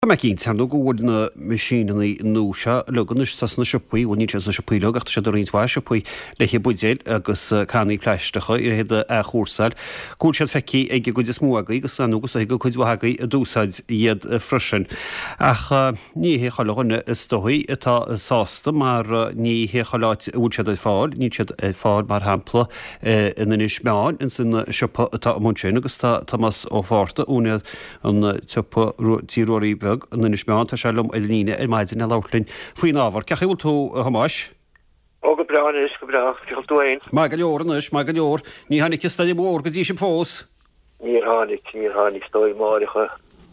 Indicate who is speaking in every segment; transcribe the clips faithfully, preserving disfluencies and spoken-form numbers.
Speaker 1: Tá mé cinnte, ar ndóigh, go bhfuil na meaisíneanna nua seo uilig anois atá sna siopaí, bhuel níl siad sna siopaí uilig ach tá siad i roinnt mhaith siopaí le haghaidh buidéil agus cannaí plaisteacha le iad a athchúrsáil, go bhfuil siad feicthe ag an gcuid is mó agaibh agus ar ndóigh is dóigh go cuid mhaith agaibh a d'úsáid iad freisin. Ach ní hé chuile dhuine is dóigh atá sásta mar ní hé chuile áit a bhfuil siad ar fáil, níl siad ar fáil mar shampla in Inis Meáin ins an siopa atá amuigh ansin agus tá Tomás Ó Fátharta, úinéir an tsiopa Tí Ruairí Bheag in Inis Meáin. Tá sé liom ar líne ar maidin le labhairt linn faoin ábhar. Cén chaoi a bhfuil tú, a Thomáis?
Speaker 2: Ó, go breá anois, go breá. Cén chaoi a bhfuil tú fhéin?
Speaker 1: Maith go leor anois, maith go leor. Ní tháinig an stoirm mhór go dtí sibh fós?
Speaker 2: Níor tháinig, níor tháinig. Is dóigh amáireach a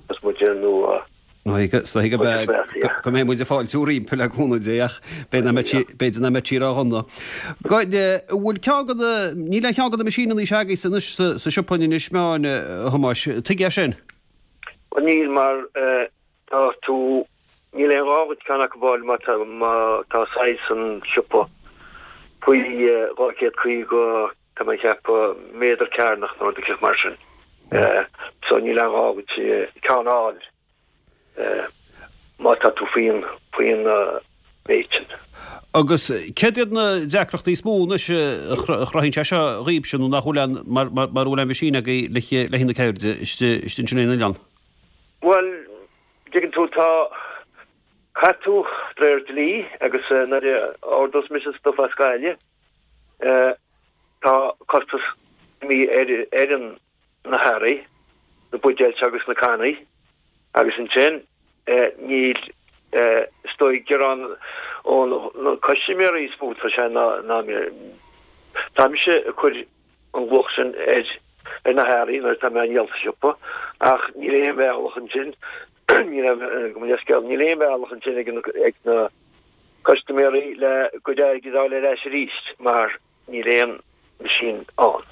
Speaker 2: bheas muid nó
Speaker 1: Is dóigh go go mbeidh muid ag fáiltiú roimpi le cúnamh Dé ach b'fhéidir nach mbeidh sí ródhona. Bhfuil ceann de na, níl aon cheann de na meaisíneanna seo agaibhse anois sa siopa in Inis Meáin, a Thomáis. Tuige é sin?
Speaker 2: Bhuel níl mar tá tú, níl aon ghá duit ceann acu a fháil má tá má tá saghas an siopa faoi dhá chéad caoga tá mé ag ceapadh méadar cearnach nó rud eicíocht mar sin. So níl aon ghá duit ceann a fháil. má tá tú faoin faoin méid sin.
Speaker 1: Agus céard iad na deacrachtaí is mó anois a chruthaíonn sé seo dhaoibhse nó nach bhfuil aon mar mar mura bhfuil aon mheaisín agaibh le le haghaidh na ceirde istigh istigh ansin ar an oileán?
Speaker 2: Bhuel, dtuigeann tú tá caithfidh tú de réir dlí agus nuair a ordós mise stuif as Gaillimh tá costas imithe ar ar an na hearraí, na buidéil seo agus na cannaí agus ansin níl is dóigh gearán ó na custaiméirí is mó atá sé ná ná tá mise ag cur an luach sin ar ar na hearraí nuair atá mé á ndíol sa siopa ach níl aon bhealach ansin níl aon gabh mo leithscéal níl aon bhealach ansin ag na ag na custaiméirí le a gcuid airgid a fháil ar ais arís mar Níl aon machine ann.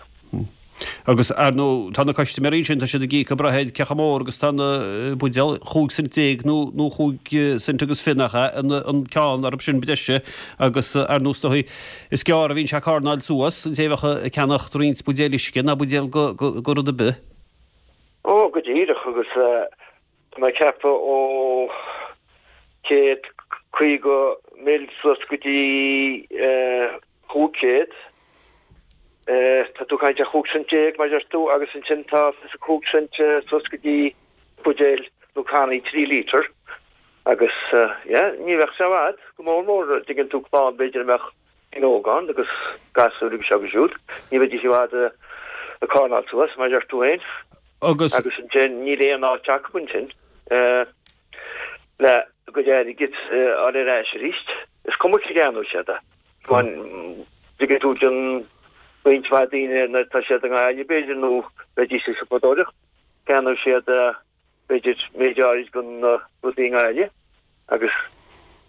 Speaker 1: Agus, ar ndóigh, tá na custaiméirí ansin, tá siad ag íoc ag brath ar cé chomh mór agus tá na buidéil, chúig cent déag nó nó chúig cent agus fiche nach ea, an an ceann arb sin breise agus, ar ndóigh, is dóigh, is gearr a bhíonn sé ag carnáil suas, an té a bheadh ag ceannacht roinnt buidéil uisce ná buidéal go go go rud ar bith.
Speaker 2: Ó, go díreach, agus tá mé ag ceapadh ó céad caoga mil suas go dtí chúig chéad. Tá tú ag caint ar chúig cent déag, mar a deir tú, agus ansin tá fiche cúig cent suas go dtí buidéil nó cannaí trí lítear. Agus, yeah, ní bheadh sé i bhfad, go mór mór, dtuigeann tú, clann b'fhéidir a mbeadh daoine óga ann agus gasúir agus seo agus siúd, ní bheidís i bhfad ag carnáil suas, mar a deir tú féin.
Speaker 1: Agus.
Speaker 2: Agus ansin níl aon áit acu ansin le a gcuid airgid a fháil ar ais arís. Is cuma cé gceannóidh siad é. Dtuigeann tú don roinnt mhaith daoine nuair atá siad i nGaillimh b'fhéidir nó bheidís ag siopadóireacht, ceannóidh siad b'fhéidir méid áirid den na rudaí i nGaillimh agus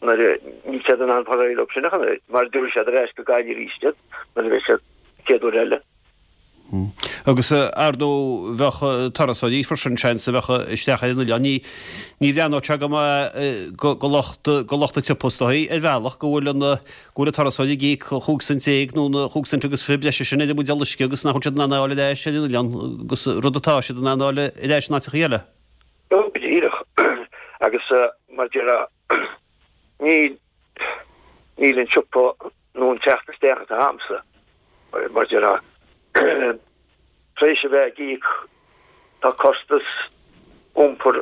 Speaker 2: nuair a níl siad in ann fáil réidh leo sin ach an oiread mar tabharfaidh siad ar ais go Gaillimh arís iad nuair a bheidh siad chéad uair eile.
Speaker 1: Agus ar ndóigh bheadh turasóirí freisin, seans, a bheadh isteach ar an oileán. Ní ní bhreathnódh sé go maith go lucht go lucht an tsiopa is dóigh ar bhealach go bhfuil an go bhfuil an turasóir ag íoc chúig cent déag nó na chúig cent agus fiche breise sin ar an mbuidéal uisce agus nach bhfuil siad in ann a fháil ar ais ar an oileán agus rud atá siad in ann a fháil ar ais in áiteacha eile.
Speaker 2: Go díreach. Agus mar a déarfá níl níl an siopa nó an teacht isteach atá a'msa, mar a déarfá, tar éis a bheith ag íoc, tá costas iompair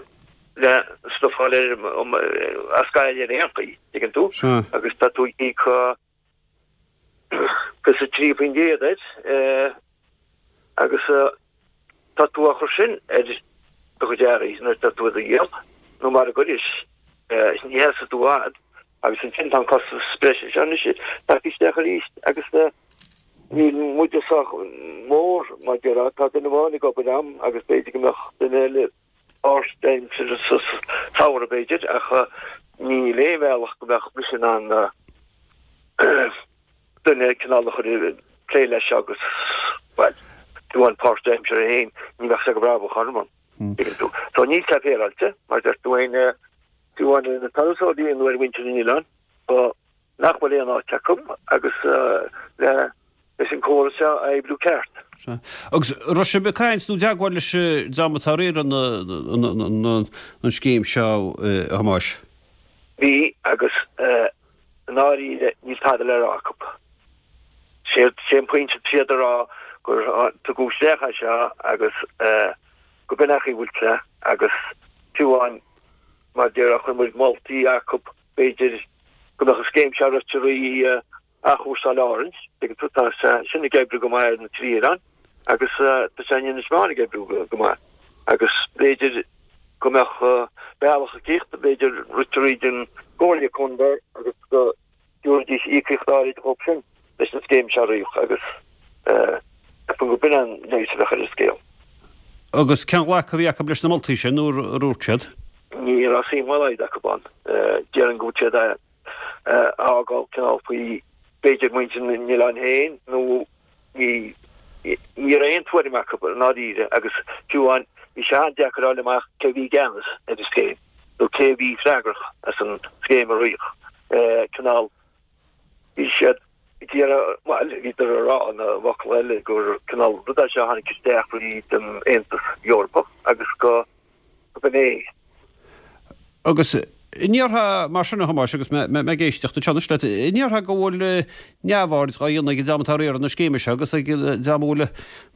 Speaker 2: le stuif a fháil ar as Gaillimh ar aon chaoi, tuigeann tú, agus tá tú ag íoc fiche trí faoin gcéad air agus tá tú á chur sin ar do chuid earraí nuair atá tú á dhíol, nó mara gcuiris, ní sheasfaidh tú i bhfad. Agus ansin tá an costas breise seo anois tagtha isteach arís agus níl muide sách mór mar a déarfá, tá duine amháin ag obair a'm agus b'fhéidir go mbeadh duine eile páirtaimseartha sa samhradh b'fhéidir ach níl aon bhealach go mbeadh mise in ann duine cineál a chur ag plé leis seo agus bhuel, fiú amháin páirtaimseartha féin ní bheadh sé go brabach orm an dtuigeann tú. So níl sé féaráilte mar deir tú féin fiú amháin ar na turasóirí nó ar mhuintir an oileáin, nach bhfuil aon áit acu agus le leis an córas seo a oibriú ceart.
Speaker 1: Sea. Agus raibh sibh ag caint nó i dteagmháil leis an dream atá ag riaradh an scéim seo, a Thomáis?
Speaker 2: Bhí, agus i ndáiríre níl tada le rá acu. Sé an pointe tá siad a rá gur tugadh isteach é seo agus go b'in é an chaoi a bhfuil sé agus fiú amháin mar déarfá chuir muid moltaí acu b'fhéidir go mbeadh an scéim seo rite thrí Athchúrsáil Árann, tuigeann tú, tá sé sin ag oibriú go maith ar na trí oileán agus tá sé in Inis Meáin ag oibriú go maith agus b'fhéidir go mbeadh bealach eicíocht, b'fhéidir rite thríd an gComhairle Contae agus go dtabharfaidís íocaíocht áirid dhóibh sin leis an scéim seo a rith agus ceapaim go b'in an leigheas a bheadh ar an scéal.
Speaker 1: Agus cén ghlacadh a bhí acu leis na moltaí sin nuair a dúirt siad?
Speaker 2: Ní raibh suim dá laghad acu ann. Déarfainn go bhfuil siad a fhágáil cineál faoi b'fhéidir muintir na n-oileán féin nó ní ní raibh aon tuairim acu i ndáiríre agus fiú amháin bhí sé an-deacair a fháil amach cé a bhí i gceannas ar an scéim nó cé a bhí freagrach as an scéim a rith. Cineál bhí siad ag iarraidh, bhuel bhíodar a rá ina bhfocal eile gur cineál rud é seo a tháinig isteach fríd an Aontas Eorpach agus go b'in é.
Speaker 1: Agus an ndéarfá mar sin, a Thomáis, agus mé ag éisteacht anseo anois leat, an ndéarfá go bhfuil neamhaird dhá dhéanamh ag an dream atá ag riaradh na scéime seo agus ag an dream a bhfuil,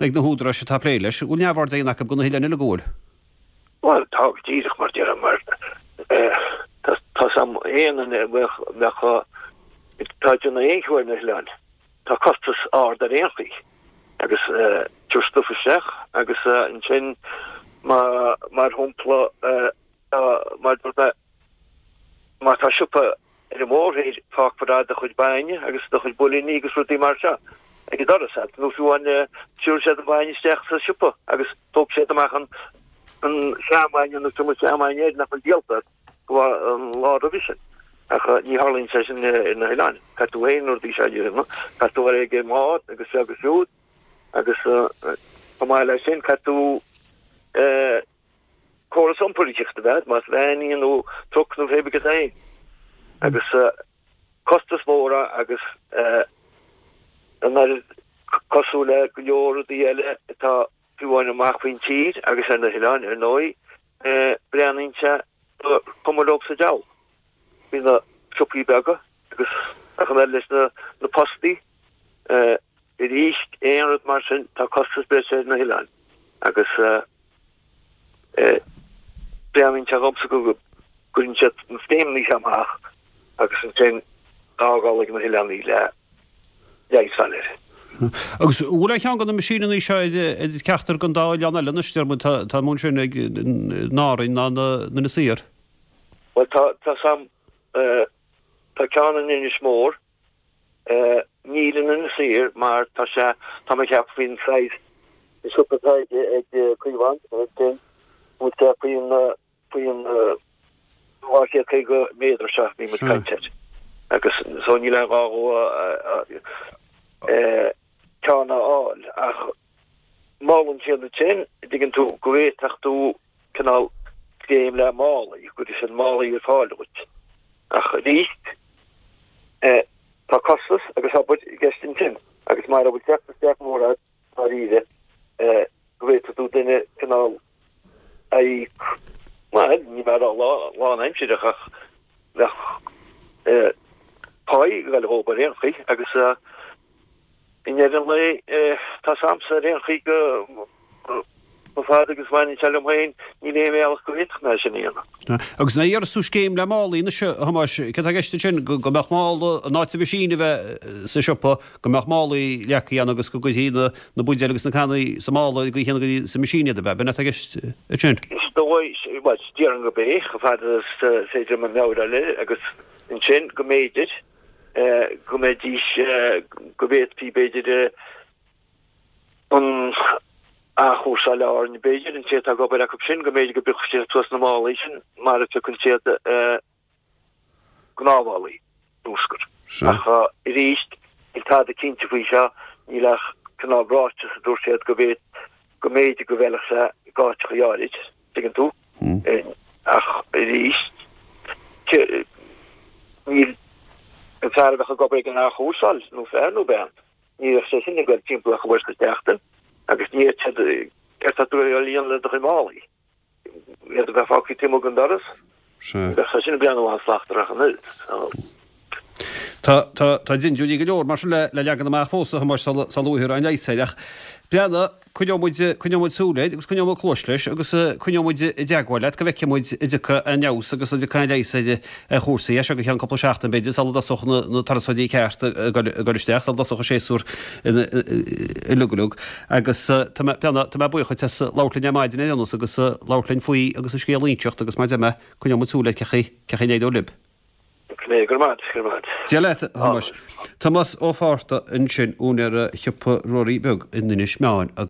Speaker 1: ag na húdaráis atá ag plé leis, go bhfuil neamhaird á dhéanamh acu de na hoileáin uilig, an bhfuil?
Speaker 2: Bhuel, tá go díreach mar déarfá, mar tá 's a'm aon duine a bheadh, atá ag déanamh aon cheo ar na hoileáin, tá costas ard ar aon chaoi agus tabhairt stuif isteach agus ansin mar shampla, Mar dúirt mé, má tá siopa ar an mórthír, fágfar do chuid bainne agus do chuid builíní agus rudaí mar seo ag an doras agat, nó fiú amháin tabharfaidh siad an bainne isteach sa siopa agus tógfaidh siad amach an seanbhainne nó cuma seanbhainne air nach bhfuil díolta go an lá roimhe sin. Ach ní tharlaíonn sé sin ar na hoileáin. Caithfidh tú féin na rudaí seo a dhéanamh, caithfidh tú a dhul ag an mbád agus seo agus siúd agus chomh maith leis sin caithfidh tú córas iompair a bheith, más veain í nó truc nó pé bith é. Agus costas mór agus an oiread cosúil le go leor rudaí eile atá fiú amháin amach faoin tír agus ar na hoileáin, ar ndóigh, breathnaíonn sé gur cuma leo sa diabhal faoi na siopaí beaga agus ach an oiread leis na postaí. Arís, aon rud mar sin, tá costas breise ar na hoileáin agus breathnaíonn sé dhomsa go gcuireann siad na scéimeanna seo amach agus ansin fágáil ag na hoileánaigh le leigheas a fháil air.
Speaker 1: Agus an bhfuil aon cheann de na meaisíneanna seo ar cheachtar den dá oileán eile anois, deir muid, tá muid ansin ag in Árainn ná in Inis Oírr?
Speaker 2: Bhuel, tá, tá sam, tá ceann in Inis Mór, Níl in Inis Oírr mar tá sé, tá mé ag ceapadh faoin saghas siopa atá ag Caomhán ansin, bhfuil sé faoin faoin dhá chéad caoga méadar seo a bhí muid ag caint air. Agus so níl aon ghá dhó ceann a fháil ach molann siad ansin, dtuigeann tú, go bhféadfadh tú cineál scéim le málaí, go gcuirfidh siad málaí ar fáil dhuit. Ach arís, tá costas agus obair i gceist ansin agus mara bhfuil teacht isteach mór agat, dáiríre, go bhféadfadh tú duine cineál a íoc, bhuel, ní mé a rá lánaimsireach ach bheadh páí ag dul dhóibh ar aon chaoi agus I ndeireadh an lae, tá 's a'msa ar aon chaoi go chomh fada agus a bhaineann sé liom féin, níl aon bhealach go bhféadfadh mé é sin a dhéanamh.
Speaker 1: Agus nuair a déarfas tú scéim le málaí anois, a Thomáis, céard atá i gceist ansin? Go mbeadh mála, in áit an mheaisín a bheith sa siopa, go mbeadh málaí leagtha ann agus go gcuirfí na buidéil agus na cannaí sa mála i gcaoi chéanna go dtí sa meaisín iad, ab ea? B'in atá i gceist ansin?
Speaker 2: Is dóigh, bhuel, déarfainn gurb é, chomh fada is féidir liom meabhair a fháil air, agus ansin go mb'fhéidir, go mbeidís, go bhféadfaí b'fhéidir an athchúrsáil Árainn, b'fhéidir, an té atá ag obair acu sin, go mb'fhéidir go bpiocfadh siad suas na málaí sin mar a phiocann siad gnáthmhálaí bruscair. Ach arís, níl tada cinnte faoi seo, níl ach cineál ráiteas a dúirt siad go bhféad, go mb'fhéidir go bhfeilfeadh sé i gcáiteachaí áirid, tuigeann tú. Ach arís, níl an fear a bheadh ag obair ag an athchúrsáil, nó fear nó bean, ní bheadh sé sin ag dul timpeall ach uair sa tseachtain. Agus ní fhéadfadh siad, céard tá tú a dhéanamh le do chuid málaí? Iad a bheith fágtha taobh amuigh den doras?
Speaker 1: Sea.
Speaker 2: Bheadh sé sin ag breathnú an-slachtmhar ach an oiread. So.
Speaker 1: Tá, tá, tá dindiúirí go leor mar sin le, le leagan amach fós, a Thomáis, sula, sula bhfaighfear aon leigheas air. Ach breathnaigh, coinneoidh muid, coinneoidh muid súil air agus coinneoidh muid cluais leis agus coinneoidh muid i dteagmháil leat go bhfeicfidh muid an dtiocfaidh aon fheabhas agus an dtiocfaidh aon leigheas ar, ar chúrsaí. As seo go ceann cúpla seachtain, b'fhéidir, sula dtosódh na, na turasóirí ceart ag dul, ag dul isteach, sula dtosódh an séasúr uilig uilig. Agus tá mé, breathnaigh, tá mé buíoch duit as labhairt linn ar maidin ar aon nós agus labhairt linn faoi agus an scéal a inseacht agus mar a deir mé, coinneoidh muid súil air cé chaoi, cé chaoi a n-éireoidh libh.
Speaker 2: Go raibh maith, go raibh maith.
Speaker 1: Dia leat, a Thomáis. Tomás Ó Fátharta ansin, úinéir Shiopa Ruairí Beag in Inis Meáin.